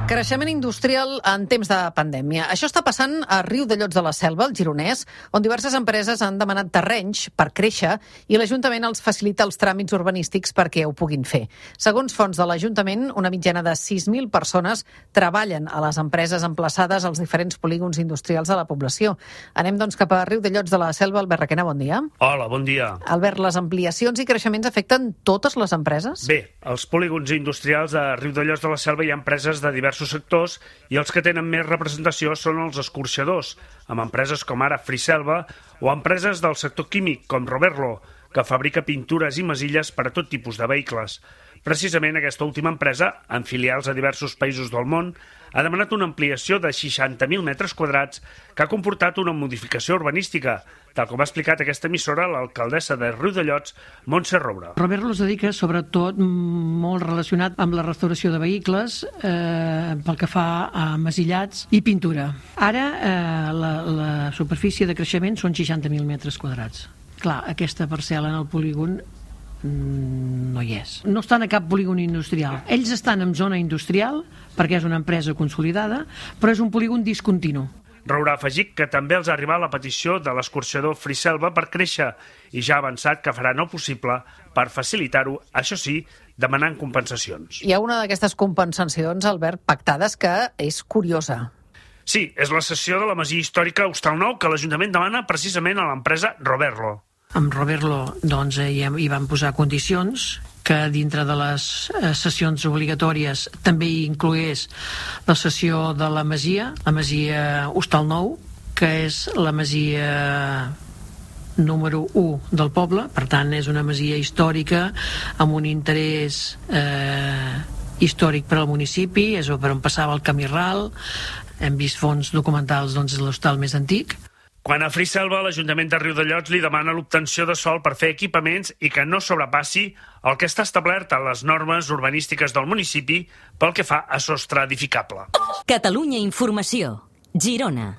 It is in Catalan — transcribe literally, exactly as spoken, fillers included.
Creixement industrial en temps de pandèmia. Això està passant a Riudellots de la Selva, al Gironès, on diverses empreses han demanat terrenys per créixer i l'Ajuntament els facilita els tràmits urbanístics perquè ho puguin fer. Segons fonts de l'Ajuntament, una mitjana de sis mil persones treballen a les empreses emplaçades als diferents polígons industrials de la població. Anem, doncs, cap a Riudellots de la Selva. Albert Requena, bon dia. Hola, bon dia. Albert, les ampliacions i creixements afecten totes les empreses? Bé, als polígons industrials de Riudellots de la Selva hi ha empreses de diversos sectors i els que tenen més representació són els escorxadors, amb empreses com ara Friselva o empreses del sector químic com Roberlo, que fabrica pintures i masilles per a tot tipus de vehicles. Precisament aquesta última empresa, amb filials a diversos països del món, ha demanat una ampliació de seixanta mil metres quadrats que ha comportat una modificació urbanística, tal com ha explicat aquesta emissora l'alcaldessa de Riudellots, Montse Roure. Roberlo es dedica sobretot molt relacionat amb la restauració de vehicles, eh, pel que fa a masillats i pintura. Ara eh, la, la superfície de creixement són seixanta mil metres quadrats. Clar, aquesta parcel·la en el polígon no hi és. No estan a cap polígon industrial. Ells estan en zona industrial perquè és una empresa consolidada, però és un polígon discontinu. Roure ha afegit que també els ha arribat la petició de l'escorxador Friselva per créixer i ja ha avançat que faran el possible per facilitar-ho, això sí, demanant compensacions. Hi ha una d'aquestes compensacions, Albert, pactades, que és curiosa. Sí, és la cessió de la masia històrica Hostalnou que l'Ajuntament demana precisament a l'empresa Roberlo. Amb Roberlo doncs, hi, hi van posar condicions que dintre de les sessions obligatòries també hi inclogués la cessió de la masia, la masia Hostalnou, que és la masia número u del poble, per tant és una masia històrica amb un interès eh, històric per al municipi, és per on passava el camí ral, hem vist fons documentals, doncs és l'hostal més antic. Quan a Friselva, l'Ajuntament de Riudellots li demana l'obtenció de sòl per fer equipaments i que no sobrepassi el que està establert a les normes urbanístiques del municipi pel que fa a sostre edificable. Catalunya Informació, Girona.